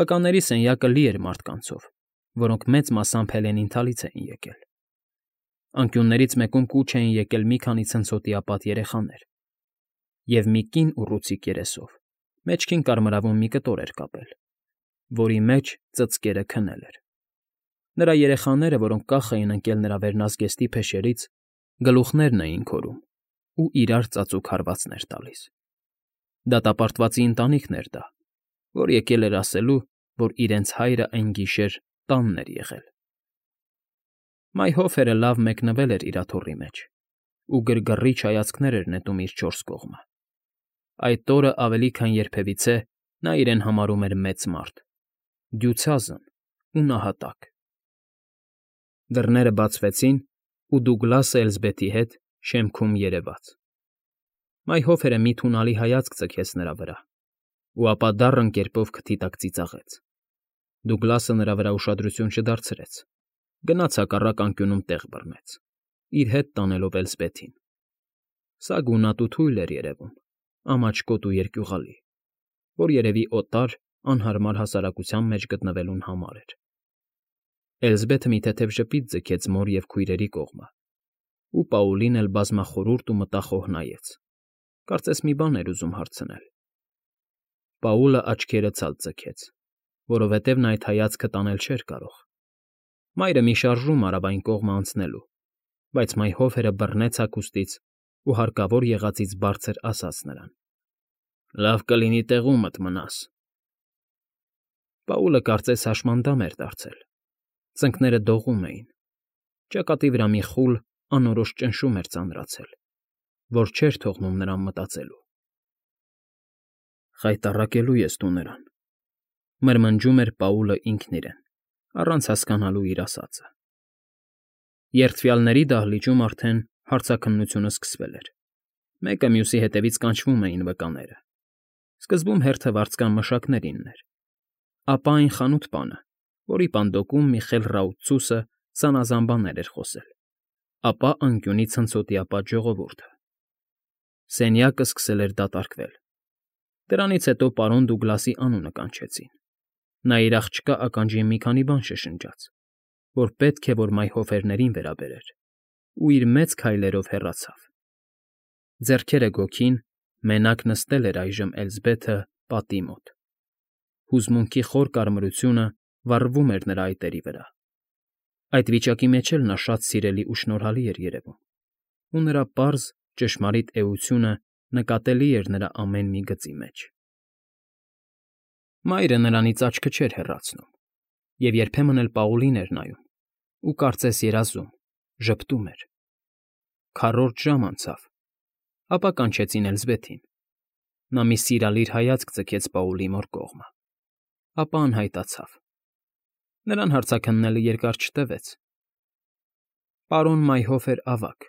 Վկաների սենյակը լի էր մարդկանցով, որոնք մեծ մասամբ Հելենիթալից էին եկել։ Անկյուններից մեկում կուչ էին եկել մի քանի ցնցոտիապատ երեխաներ, և մի կին ուռուցիկ երեսով մեջքին կարմրավուն մի կտոր էր կապել, որի մեջ ծծկերը քնել էր։ Նրա երեխաները, որոնք կախ էին ընկել նրա վերնազգեստի փեշերից, գլուխներն էին քորում ու իրար ծածուկ հարվածներ տալիս։ Դատապարտվածի ընտանիքն էր դա, որ եկել էր ասելու, որ իրենց հայրը այն գիշեր տանն էր եղել։ Մայհոֆերը լավ մեկնվել էր իր աթոռի մեջ ու գրգռիչ հայացքներ էր նետում իր չորս կողմը։ Այդ օրը ավելի քան երբևիցե նա իրեն համարում էր մեծ մարդ, դյուցազն ու նահատակ։ Դռները բացվեցին, ու Դուգլասը Էլզբեթի հետ շեմքում երևաց։ Մայհոֆերը մի թունալի հայացք ձգեց նրա վրա, ու ապա դառն կերպով քթի տակ ծիծաղեց։ Դուգլասը նրա վրա ուշադրություն չդարձրեց, գնաց հակառակ անկյունում տեղ բռնեց, իր հետ տանելով Էլզբեթին։ Սա գունատ ու թույլ էր երևում, ամաչկոտ ու երկյուղալի, որ երևի օտար, անհարմար հասարակության մեջ գտնվելուն համար էր։ Էլզբեթը մի թեթև ժպիտ ձգեց մոր և քույրերի կողմը, ու Պաուլին էլ բազմախորհուրդ ու մտախոհ նայեց, կարծես մի բան էր ուզում հարցնել։ Պաուլը աչքերը ցած ձգեց, որովհետև նա այդ հայացքը տանել չէր կարող։ Մայրը մի շարժում արավ այն կողմը անցնելու, բայց Մայհոֆերը բռնեց հագուստից ու հարկավոր եղածից բարձր ասաց նրան. «Լավ կլինի տեղումդ մնաս»։ Պաուլը կարծես հաշմանդամ էր դարձել, ծնկները դողում էին, ճակատի վրա մի խուլ, անորոշ ճնշում էր ծանրացել, որ չէր թողնում նրան մտածելու։ «Խայտառակելու ես դու նրան», մրմնջում էր Պաուլը ինքն իրեն, առանց հասկանալու իր ասածը։ Երդվյալների դահլիճում արդեն հարցաքննությունը սկսվել էր։ Մեկը մյուսի հետևից կանչվում էին վկաները։ Սկզբում հերթը վարձկան մշակներին էր, ապա այն խանութ պանը, որի պանդոկում Միխել Ռաուծուսը զանազան բաներ էր խոսել, ապա անկյունի ցնցոտիապատ ժողովուրդը։ Սենյակը սկսել էր դատարկվել։ Դրանից հետո պարոն Դուգլասի անունը կանչեցին։ Նա իր աղջկա ականջին մի քանի բան շշնջաց, որ պետք է որ մայհոֆերներին վերաբերեր, ու իր մեծ քայլերով հեռացավ։ Ձեռքերը գոգին, մենակ նստել էր այժմ Էլզբեթը պատի մոտ։ Հուզմունքի խոր կարմրությունը վառվում էր նրա այտերի վրա։ Այդ վիճակի մեջ էլ նա շատ սիրելի ու շնորհալի էր երևում, ու նրա պարզ, ճշմարիտ էությունը նկատելի էր նրա ամեն մի գծի մեջ։ Մայրը նրանից աչքը չէր հեռացնում, և երբեմն էլ Պաուլին էր նայում, ու կարծես երազում, ժպտում էր։ Քառորդ ժամ անցավ, ապա կանչեցին Էլզբեթին։ Նա մի սիրալիր հայացք ձգեց Պաուլի մոր կողմը, ապա անհայտացավ։ Նրան հարցաքննելը երկար չտևեց։ Պարոն Մայհոֆեր ավագ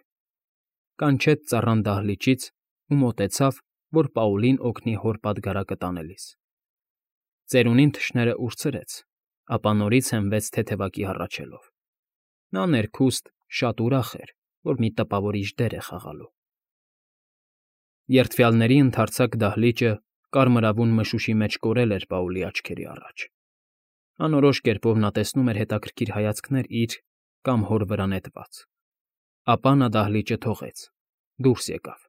կանչեց ծառան դահլիճից ու մոտեցավ, որ Պաուլին օգնի հոր պատգարակը տանելիս։ Ծերունին թշները ուրցրեց, ապա նորից հենվեց թեթևակի հառաչելով։ Նա ներքուստ շատ ուրախ էր, որ մի տպավորիչ դեր է խաղալու։ Երդվյալների ընդարձակ դահլիճը կարմրավուն մշուշի մեջ կորել էր Պաուլի աչքերի առաջ։ Անորոշ կերպով նա տեսնում էր հետաքրքիր հայացքներ իր կամ հոր վրա նետված։ Ապա նա դահլիճը թողեց, դուրս եկավ։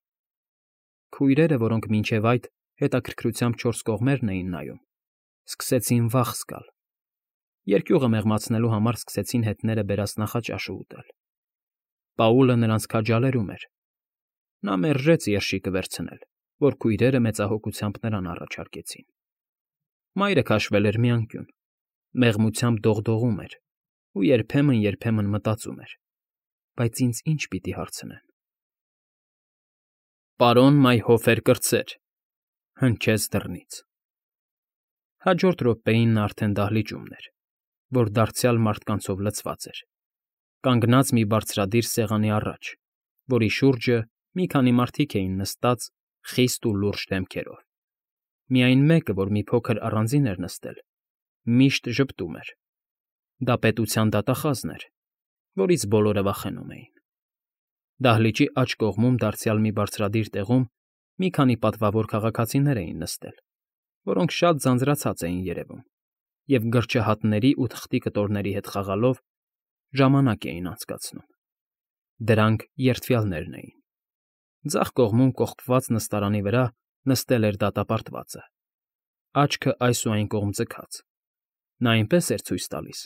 Քույրերը, որոնք մինչև այդ հետաքրքրությամբ չորս կողմերն էին նայում, սկսեցին վախ զգալ։ Երկյուղը մեղմացնելու համար սկսեցին հետները բերած նախաճաշը ուտել։ Պաուլը նրանց քաջալերում էր։ Նա մերժեց երշիկը վերցնել, որ քույրերը մեծահոգությամբ նրան առաջարկեցին։ Մայրը քաշվել էր մի անկյուն, մեղմությամբ դողդողում էր ու երբեմն մտածում էր. բայց ինձ ինչ պիտի հարցնեն։ Պարոն Մայհոֆեր կրտսեր, հնչեց դռնից։ Հաջորդ րոպեին նա արդեն դահլիճումն էր, որ դարձյալ մարդկանցով լցված էր, կանգնած մի բարձրադիր սեղանի առաջ, որի շուրջը մի քանի մարդիկ էին նստած խիստ ու լուրջ դեմքերով։ Միայն մեկը, որ մի փոքր առանձին էր նստել, միշտ ժպտում էր։ Դա պետության դատախազն էր, որից բոլորը վախենում էին։ Դահլիճի աջ կողմում դարձյալ մի բարձրադիր տեղում մի քանի պատվավոր քաղաքացիներ էին նստել, որոնք շատ ձանձրացած էին երևում, և գրչահատների ու թղթի կտորների հետ խաղալով ժամանակ էին անցկացնում։ Դրանք երդվյալներն էին։ Ձախ կողմում կողպված նստարանի վրա նստել էր դատապարտվածը, աչքը այս ու այն կողմ ձգած։ Նա այնպես էր ցույց տալիս,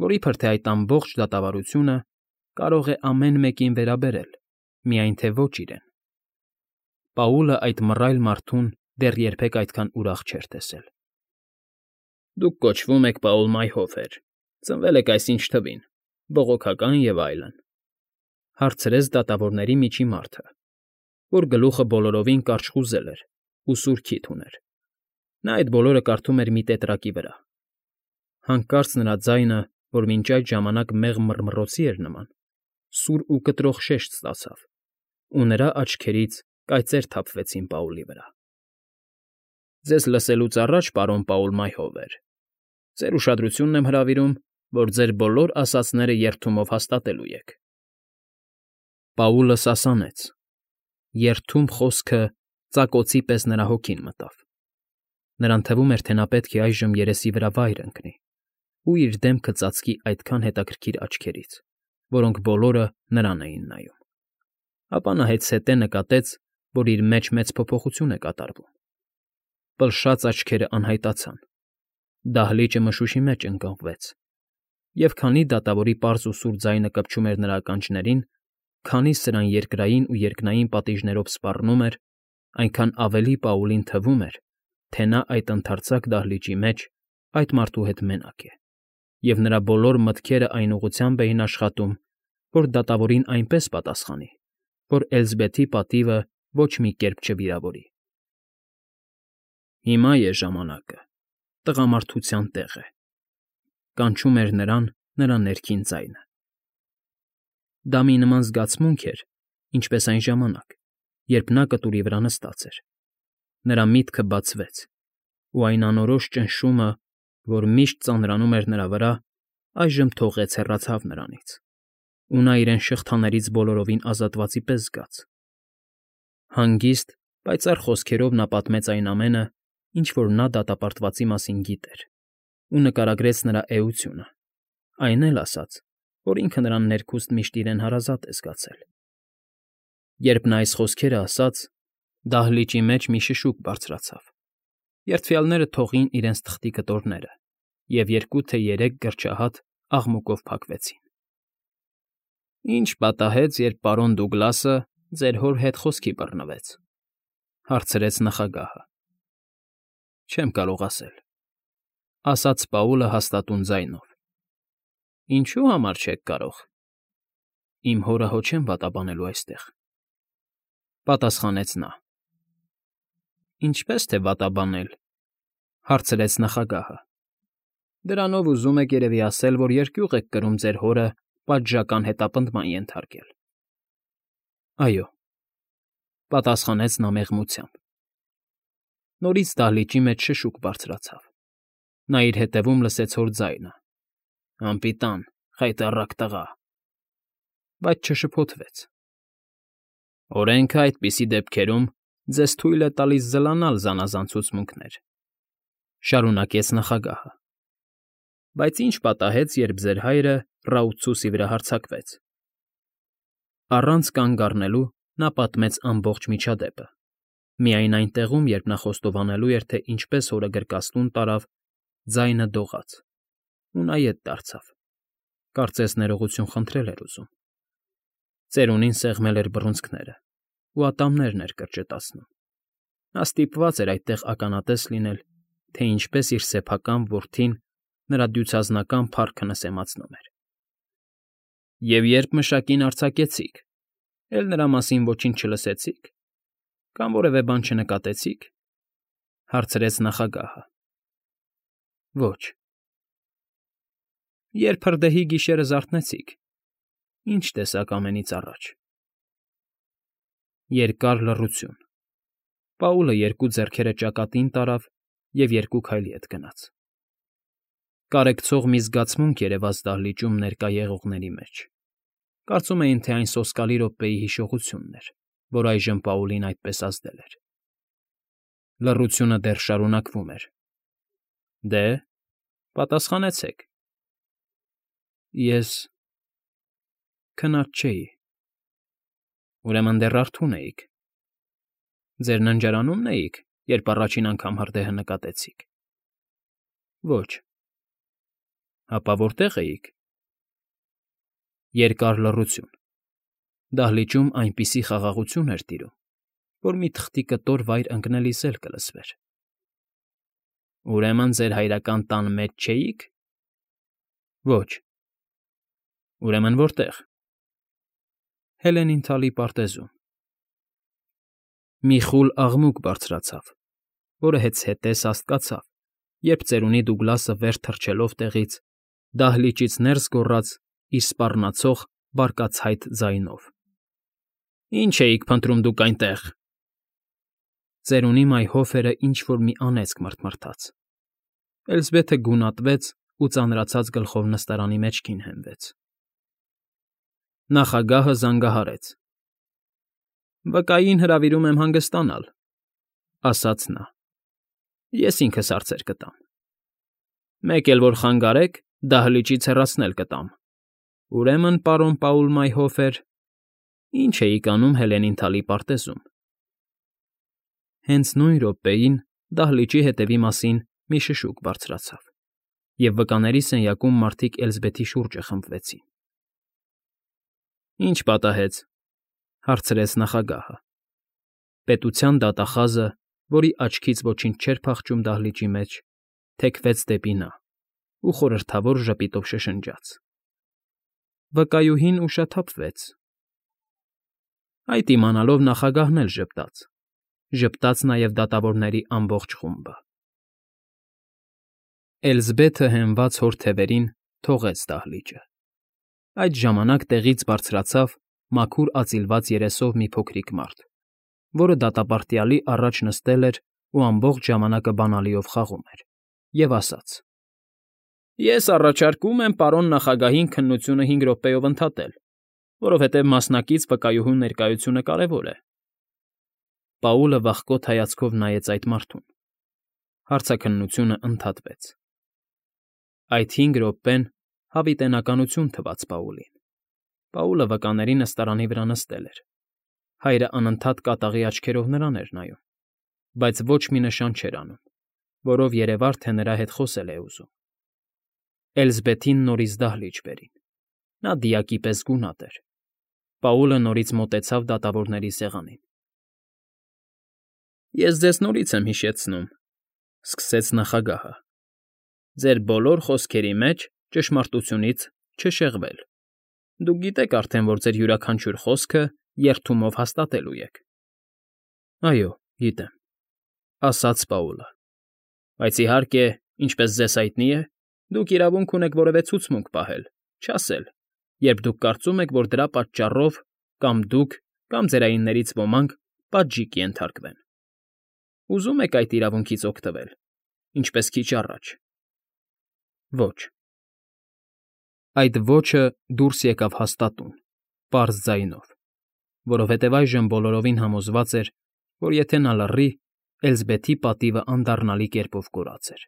որ իբր թե այդ ամբողջ դատավարությունը կարող է ամեն մեկին վերաբերել, միայն թե ոչ իրեն։ Պաուլը այդ մռայլ մարդուն դեռ երբեք այդքան ուրախ չէր տեսել։ Դուք կոչվում եք Պաուլ Մայհոֆեր, ծնվել եք այսինչ թվին, բողոքական և այլն, հարցրեց դատավորների միջի մարդը, որ գլուխը բոլորովին կարճ խուզել էր ու սուր քիթ ուներ։ Նա այդ բոլորը կարդում էր մի տետրակի վրա։ Հանկարծ նրա ձայնը, որ մինչ այդ ժամանակ մեղմ մռմռոցի էր նման, սուր ու կտրող շեշտ ստացավ, ու նրա աչքերից կայծեր թափվեցին Պաուլի վրա։ Ձեզ լսելուց առաջ, պարոն Պաուլ Մայհովեր, ձեր ուշադրությունն եմ հրավիրում, որ ձեր բոլոր ասածները երդումով հաստատելու եք։ Պաուլը սասանեց։ Երդում խոսքը ծակոցի պես նրա հոգին մտավ։ Նրան թվում էր, թե նա պետք է այժմ երեսի վրա վայր ընկնի ու իր դեմքը ծածկի այդքան հետաքրքիր աչքերից, որոնք բոլորը նրան էին նայում։ Ապա նա հետզհետե նկատեց, որ իր մեջ մեծ փոփոխություն է կատարվում։ Պլշած աչքերը անհայտացան, դահլիճը մշուշի մեջ ընկղմվեց, և քանի դատավորի պարզ ու սուր ձայնը կպչում էր նրա ականջներին, քանի սրան երկրային ու երկնային պատիժներով սպառնում էր, այնքան ավելի Պաուլին թվում էր, թե նա այդ ընդարձակ դահլիճի մեջ այդ մարդու հետ մենակ է, և նրա բոլոր մտքերը այն ուղղությամբ էին աշխատում, որ դատավորին այնպես պատասխանի, որ Էլզբեթի պատիվը ոչ մի կերպ չվիրավորի։ Հիմա է ժամանակը, տղամարդության տեղը, կանչում էր նրան նրա ներքին ձայնը։ Դա մի նման զգացմունք էր, ինչպես այն ժամանակ, երբ նա կտուրի վրա նստած էր։ Նրա միտքը բացվեց, ու այն անորոշ ճնշումը, որ միշտ ծանրանում էր նրա վրա, այժմ թողեց հեռացավ նրանից, ու նա իրեն շղթաներից բոլորովին ազատվածի պես զգաց։ Հանգիստ, պայծառ խոսքերով նա պատմեց այն ամենը, ինչ որ նա դատապարտվածի մասին գիտեր, ու նկարագրեց նրա էությունը, այն էլ ասաց, որ ինքը նրան ներքուստ միշտ իրեն հարազատ է զգացել։ Երբ նա այս խոսքերը ասաց, դահլիճի մեջ մի շշուկ բարձրացավ։ Երդվյալները թողին իրենց թղթի կտորները, և 2 թե 3 գրչահատ աղմուկով փակվեցին։ Ինչ պատահեց, երբ պարոն Դուգլասը ձեր հոր հետ խոսքի բռնվեց, հարցրեց նախագահը։ Չեմ կարող ասել, ասաց Պաուլը հաստատուն ձայնով։ Ինչու համար չեք կարող։ Իմ հորը հո չեմ վատաբանելու այստեղ, պատասխանեց նա։ Ինչպես թե վատաբանել, հարցրեց նախագահը։ Դրանով ուզում եք երևի ասել, որ երկյուղ եք կրում ձեր հորը պատժական հետապնդման ենթարկել։ Այո, պատասխանեց նա մեղմությամբ։ Նորից դահլիճի մեջ շշուկ բարձրացավ։ Նա իր հետևում լսեց հոր ձայնը. Անպիտան, խայտառակ տղա, բայց չշփոթվեց։ Օրենքը այդպիսի դեպքերում ձեզ թույլ է տալիս զլանալ զանազան ցուցմունքներ, շարունակեց նախագահը։ Բայց ինչ պատահեց, երբ ձեր հայրը Ռաուցուսի վրա հարձակվեց։ Առանց կանգ առնելու նա պատմեց ամբողջ միջադեպը, միայն այն տեղում, երբ նա խոստովանելու էր, թե ինչպես հորը գրկաստուն տարավ, ձայնը դողաց, ու նա ետ դարձավ, կարծես ներողություն խնդրել էր ուզում։ Ծերունին սեղմել էր բռունցքները, ու ատամներն էր կրճտացնում։ Նա ստիպված էր այդտեղ ականատես լինել, թե ինչպես իր սեփական որդին նրա դյուցազնական փառքը նսեմացնում էր։ Եվ երբ մշակին արձակեցիք, էլ նրա մասին ոչինչ չլսեցիք, կամ որևէ բան չնկատեցիք, հարցրեց նախագահը։ Ոչ։ Երբ հրդեհի գիշերը զարթնեցիք, ինչ տեսակ ամենից առաջ։ Երկար լռություն։ Պաուլը 2 ձեռքերը ճակատին տարավ և 2 քայլի հետ գնաց։ Կարեկցող մի զգացմունք երևաց դահլիճում ներկա եղողների մեջ։ Կարծում էին, թե այն սոսկալի րոպեի հիշողությունն էր, որ այժմ Պաուլին այդպես ազդել էր։ Լռությունը դեռ շարունակվում էր։ Դե, Պատասխանեցեք։ Ես քնած չէի։ Ուրեմն դեռ արթուն էիք։ Ձեր ննջարանո՞ւմն էիք, երբ առաջին անգամ հրդեհը նկատեցիք։ Ոչ։ Ապա որտե՞ղ էիք։ Երկար լռություն։ Դահլիճում այնպիսի խաղաղություն էր տիրում, որ մի թղթի կտոր վայր ընկնելիս էլ կլսվեր։ Ուրեմն ձեր հայրական տան մեջ չէի՞ք։ Ոչ։ Ուրեմն որտե՞ղ։ Հելենին֊թալի պարտեզում։ Մի խուլ աղմուկ բարձրացավ, որը հեծհետե սաստկացավ, երբ ծերունի Դուգլասը վեր թռչելով տեղից դահլիճից ներս գոռաց իր սպառնացող, բարկացայտ ձայնով. Ի՞նչ էիք փնտրում դուք այնտեղ։ Ծերունի մայհոֆերը ինչ֊որ մի անեծք մռթմռթաց։ Էլզբեթը գունատվեց ու ծանրացած գլխով նստարանի մեջքին հենվեց։ Նախագահը զանգահարեց։ Վկային հրավիրում եմ հանգստանալ, ասաց նա։ Ես ինքս հարցեր կտամ։ Մեկ էլ որ խանգարեք, դահլիճից հեռացնել կտամ։ Ուրեմն, պարոն Պաուլ Մայհոֆեր, ի՞նչ էիք անում Հելենին֊թալի պարտեզում։ Հենց նույն րոպեին դահլիճի հետևի մասին մի շշուկ բարձրացավ, և վկաների սենյակում մարդիկ Էլզբեթի շուրջը խմբվեցին։ Ինչ պատահեց, հարցրեց նախագահը։ Պետության դատախազը, որի աչքից ոչինչ չէր փախչում դահլիճի մեջ, թեքվեց դեպի նա ու խորհրդավոր ժպիտով շշնջաց. Վկայուհին ուշաթափվեց։ Այդ իմանալով նախագահն էլ ժպտաց նաև դատավորների ամբողջ խումբը։ Էլզբեթը հենված հոր թևերին թողեց դահլիճը։ Այդ ժամանակ տեղից բարձրացավ մաքուր ածիլված երեսով մի փոքրիկ մարդ, որը դատապարտյալի առաջ նստել էր ու ամբողջ ժամանակը բանալիով խաղում էր, և ասաց. Ես առաջարկում եմ պարոն նախագահին քննությունը 5 րոպեով ընդհատել, որովհետև մասնակից վկայուհու ներկայությունը կարևոր է։ Պաուլը վախկոտ հայացքով նայեց այդ մարդուն։ Հարցաքննությունը ընդհատվեց։ Այդ 5 րոպեն հավիտենականություն թվաց Պաուլին։ Պաուլը վկաների նստարանի վրա նստել էր։ Հայրը անընդհատ կատաղի աչքերով նրան էր նայում, բայց ոչ մի նշան չէր անում, որով երևար, թե նրա հետ խոսել է ուզում։ Էլզբեթին նորից դահլիճ բերին։ Նա դիակի պես գունատ էր։ Պաուլը նորից մոտեցավ դատավորների սեղանին։ Ես ձեզ նորից եմ հիշեցնում, սկսեց նախագահը։ Ձեր բոլոր խոսքերի մեջ ճշմարտությունից չշեղվել։ Դուք գիտեք արդեն, որ ձեր յուրաքանչյուր խոսքը երդումով հաստատելու եք։ Այո, գիտեմ, ասաց Պաուլը։ Բայց իհարկե, ինչպես ձեզ հայտնի է, դուք իրավունք ունեք որևէ ցուցմունք պահել, չասել, երբ դուք կարծում եք, որ դրա պատճառով կամ դուք, կամ ձերայիններից ոմանք պատժի կենթարկվեն։ Ուզում եք այդ իրավունքից օգտվել, ինչպես քիչ առաջ։ Ոչ։ Այդ ոչը դուրս եկավ հաստատուն, պարզ ձայնով, որովհետև այժմ բոլորովին համոզված էր, որ եթե նա լռի, Էլզբեթի պատիվը անդառնալի կերպով կորած էր։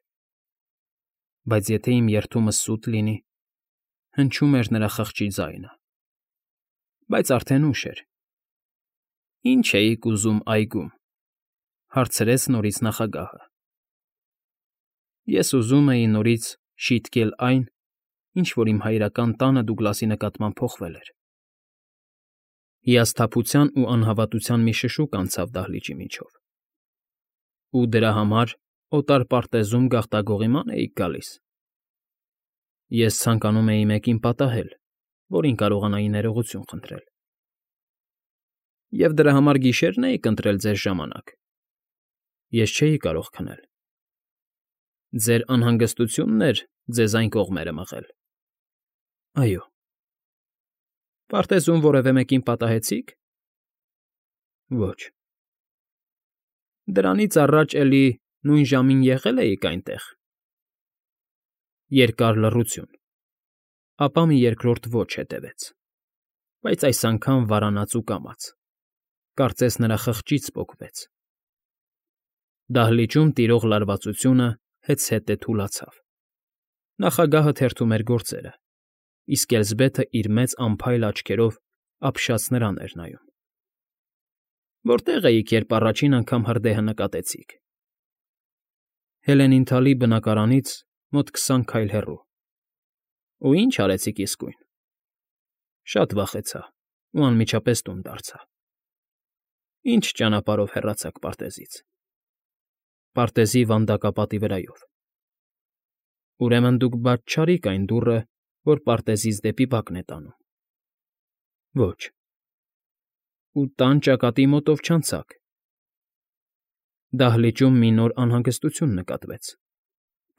Բայց եթե իմ երդումս սուտ լինի, հնչում էր նրա խղճի ձայնը։ Բայց արդեն ուշ էր։ Ինչ էիք ուզում այգում, հարցրեց նորից նախագահը։ Ես ուզում էի նորից շիտկել այն, ինչ որ իմ հայրական տանը Դուգլասի նկատմամբ փոխվել էր։ Հիասթափության ու անհավատության մի շշուկ անցավ դահլիճի միջով։ Ու դրա համար օտար պարտեզում գաղտագողի՞ման էիք գալիս։ Ես ցանկանում էի մեկին պատահել, որին կարողանայի ներողություն խնդրել։ Եվ դրա համար գիշերն էիք ընտրել ձեր ժամանակ։ Ես չէի կարող քնել։ Ձեր անհանգստությունն էր ձեզ այն կողմերը մղել։ Այո։ Պարտեզում որևէ մեկին պատահեցի՞ք։ Ոչ։ Դրանից առաջ էլի նույն ժամին եղել էիք այնտեղ։ Երկար լռություն։ Ապա մի երկրորդ ոչ հետևեց, բայց այս անգամ վարանած ու կամաց, կարծես նրա խղճից պոկվեց։ Դահլիճում տիրող լարվածությունը հեծհետե թուլացավ։ Նախագահը թերթում էր գործերը, իսկ Էլզբեթը իր մեծ անփայլ աչքերով ապշած նրան էր նայում։ Որտե՞ղ էիք, երբ առաջին անգամ հրդեհը նկատեցիք։ Հելենինթալի բնակարանից մոտ 20 քայլ հեռու։ Ու ի՞նչ արեցիք իսկույն։ Շատ վախեցա ու անմիջապես տուն դարձա։ Ինչ ճանապարհով հեռացաք պարտեզից։ Պարտեզի վանդակապատի վրայով։ Ուրեմն դուք բաց չարիք այն դուռը, որ պարտեզից դեպի բակն է տանում։ Ոչ։ Ու տան ճակատի մոտով չանցաք։ Դահլիճում մի նոր անհանգստություն նկատվեց։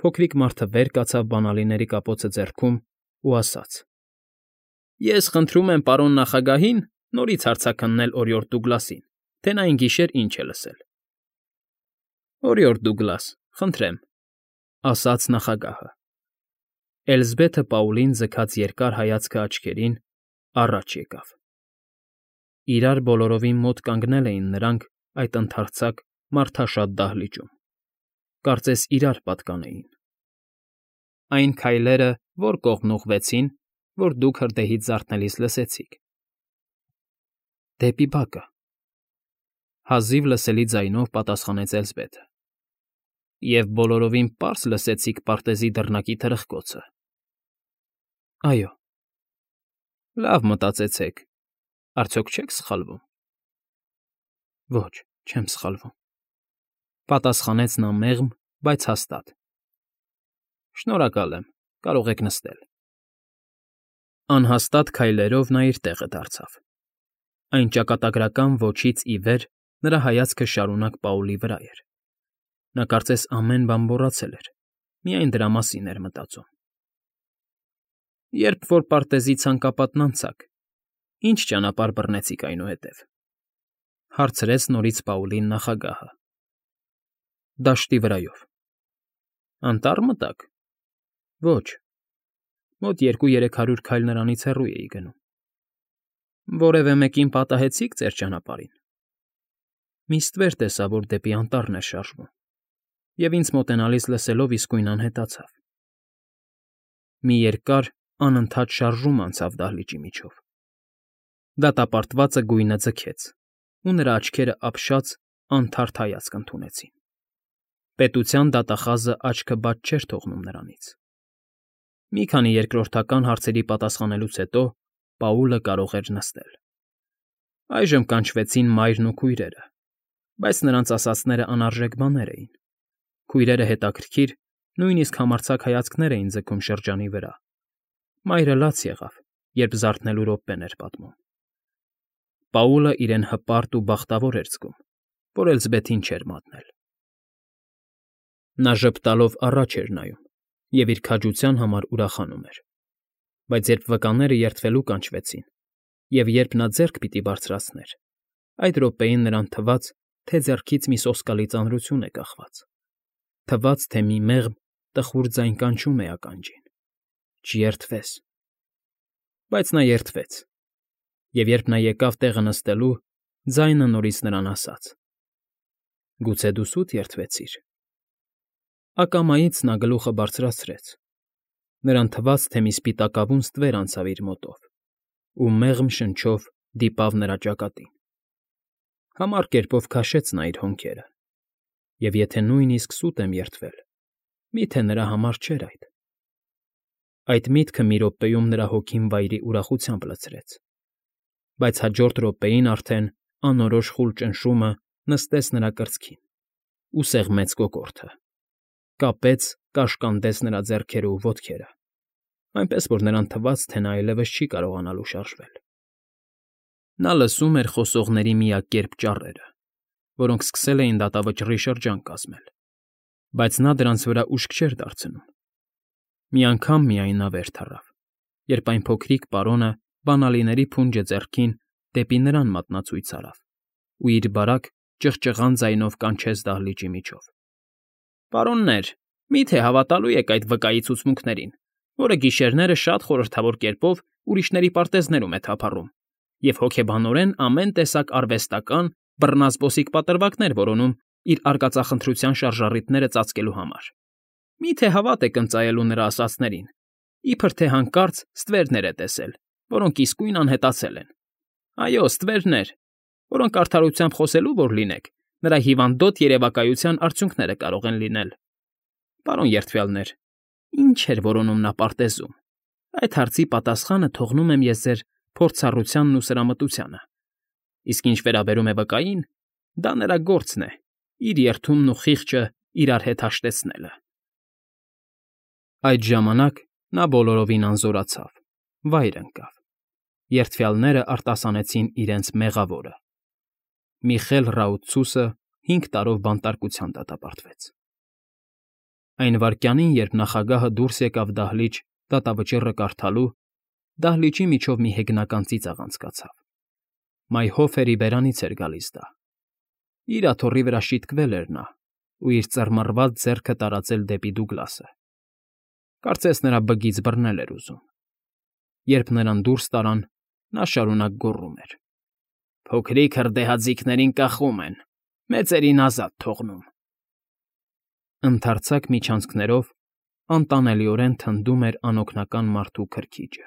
Փոքրիկ մարդը վեր կացավ բանալիների կապոցը ձեռքում ու ասաց. Ես խնդրում եմ պարոն նախագահին նորից հարցաքննել օրիորդ Դուգլասին, թե նա այն գիշեր ինչ է լսել։ Օրիորդ Դուգլաս, խնդրեմ, ասաց նախագահը։ Էլզբեթը Պաուլին ձգած երկար հայացքը աչքերին առաջ եկավ։ Իրար բոլորովին մոտ կանգնել էին նրանք այդ ընդարձակ մարդաշատ դահլիճում։ Կարծես իրար պատկանեին։ Այն քայլերը, որ կողմն ուղղվեցին, որ դուք հրդեհից զարթնելիս լսեցիք։ Դեպի բակը։ Հազիվ լսելի ձայնով պատասխանեց Էլզբեթը։ Եվ բոլորովին պարզ լսեցիք պարտեզի դռնակի թրխկոցը։ Այո։ Լավ մտածեցեք, արդյոք չեք սխալվում։ Ոչ, չեմ սխալվում, պատասխանեց նա մեղմ, բայց հաստատ։ Շնորհակալ եմ, կարող եք նստել։ Անհաստատ քայլերով նա իր տեղը դարձավ։ Այն ճակատագրական ոչից ի վեր նրա հայացքը շարունակ Պաուլի վրա էր։ Նա կարծես ամեն բան մոռացել էր, միայն դրա մասին էր մտածում։ Երբ որ պարտեզի ցանկապատն անցաք, ինչ ճանապարհ բռնեցիք այնուհետև, հարցրեց նորից Պաուլին նախագահը։ Դաշտի վրայով։ Անտառ մտաք։ Ոչ։ Մոտ 200-300 քայլ նրանից հեռու էի գնում։ Որևէ մեկին պատահեցի՞ք ձեր ճանապարհին։ Մի ստվեր տեսա, որ դեպի անտառն էր շարժվում, և ինձ մոտենալիս լսելով իսկույն անհետացավ։ Մի երկար, անընդհատ շարժում անցավ դահլիճի միջով։ Դատապարտվածը գույնը ձգեց, ու նրա աչքերը ապշած, անթարթ հայացք ընդունեցին։ Պետության դատախազը աչքը բաց չէր թողնում նրանից։ Մի քանի երկրորդական հարցերի պատասխանելուց հետո Պաուլը կարող էր նստել։ Այժմ կանչվեցին մայրն ու քույրերը, բայց նրանց ասածները անարժեք բաներ էին։ Քույրերը հետաքրքիր, նույնիսկ համարձակ հայացքներ էին ձգում շրջանի վրա։ Մայրը լաց եղավ, երբ զարթնելու րոպեն էր պատմում։ Պաուլը իրեն հպարտ ու բախտավոր էր զգում, որ Էլզբեթին չէր մատնել։ Նա ժպտալով առաջ էր նայում և իր քաջության համար ուրախանում էր։ Բայց երբ վկաները երդվելու կանչվեցին, և երբ նա ձեռք պիտի բարձրացներ, այդ րոպեին նրան թվաց, թե ձեռքից մի սոսկալի ծանրություն է կախված։ Թվաց, թե մի մեղմ, տխուր ձայն կանչում է ականջին. Չերդվես։ Բայց նա երդվեց, և երբ նա եկավ տեղը նստելու, ձայնը նորից նրան ասաց. Գուցե դու սուտ երդվեցիր։ Ակամայից նա գլուխը բարձրացրեց։ Նրան թվաց, թե մի սպիտակավուն ստվեր անցավ իր մոտով, ու մեղմ շնչով դիպավ նրա ճակատին։ Համառ կերպով քաշեց նա իր հոնքերը, և եթե նույնիսկ սուտ եմ երդվել, միթե նրա համար չէր այդ։ Այդ միտքը մի րոպեում նրա հոգին վայրի ուրախությամբ լցրեց, բայց հաջորդ րոպեին արդեն անորոշ խուլ ճնշումը նստեց նրա կրծքին ու սեղմեց կոկորդը, կապեց, կաշկանդեց նրա ձեռքերը ու ոտքերը, այնպես որ նրան թվաց, թե նա այլևս չի կարողանալու շարժվել։ Նա լսում էր խոսողների միակերպ ճառերը, որոնք սկսել էին դատավճռի շրջան կազմել, բայց նա դրանց վրա ուշք չէր դարձնում։ Մի անգամ միայն նա վեր թռավ, երբ այն փոքրիկ պարոնը բանալիների փունջը ձեռքին դեպի նրան մատնացույց արավ ու իր բարակ, ճղճղան ձայնով կանչեց դահլիճի միջով. Պարոններ, մի՞թե հավատալու եք այդ վկայի ցուցմունքներին, որը գիշերները շատ խորհրդավոր կերպով ուրիշների պարտեզներում է թափառում և հոգեբանորեն ամեն տեսակ արվեստական, բռնազբոսիկ պատրվակներ որոնում իր արկածախնդրության շարժառիթները ծածկելու համար։ Մի՞թե հավատ եք ընծայելու նրա ասածներին, իբր թե հանկարծ ստվերներ է տեսել, որոնք իսկույն անհետացել են։ Այո, ստվերներ, որոնք արդարությամբ խոսելու որ լինեք, նրա հիվանդոտ երևակայության արդյունքները կարող են լինել։ Պարոն երդվյալներ, ինչ էր որոնում նա պարտեզում։ Այդ հարցի պատասխանը թողնում եմ ես ձեր փորձառությանն ու սրամտությանը։ Իսկ ինչ վերաբերում է վկային, դա նրա գործն է, իր երդումն ու խիղճը իրար հետ հաշտեցնելը։ Այդ ժամանակ նա բոլորովին անզորացավ, վայր ընկավ։ Երդվյալները արտասանեցին իրենց մեղավորը։ Միխել Ռաուծուսը 5 տարով բանտարկության դատապարտվեց։ Այն վայրկյանին, երբ նախագահը դուրս եկավ դահլիճ դատավճիռը կարդալու, դահլիճի միջով մի հեգնական ծիծաղ անցկացավ։ Մայհոֆերի բերանից էր գալիս դա։ Իր աթոռի վրա շիտկվել էր նա ու իր ծռմռված ձեռքը տարածել դեպի Դուգլասը։ Կարծես նրա բգից բռնել էր ուզում։ Երբ նրան դուրս տարան, նա շարունակ գոռում էր. «Փոքրիկ հրդեհաձիգներին կախում են, մեծերին ազատ թողնում»։ Ընդարձակ միջանցքներով անտանելիորեն թնդում էր անօգնական մարդու քրքիջը։